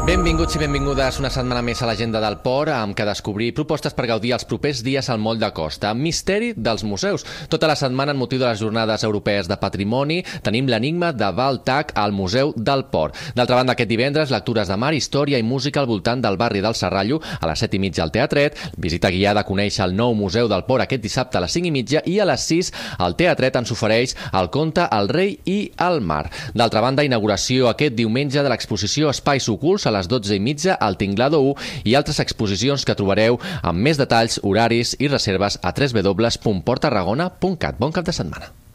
Benvinguts i benvingudes una setmana més a l'Agenda del Port, amb què descobrir propostes per gaudir els propers dies al Moll de Costa. Misteri dels museus. Tota la setmana, en motiu de les Jornades Europees de Patrimoni, tenim l'enigma de Val Tac al Museu del Port. D'altra banda, aquest divendres, lectures de mar, història i música al voltant del barri del Serrallo, a les 7:30 al Teatret, visita guiada a conèixer el nou Museu del Port aquest dissabte a les 5:30 i a les 6 el Teatret ens ofereix el conte El rei i el mar. D'altra banda, inauguració aquest diumenge de l'exposició Espais ocults a les 12:30 al Tinglado 1 i altres exposicions que trobareu amb més detalls, horaris i reserves a www.porttarragona.cat. Bon cap de setmana.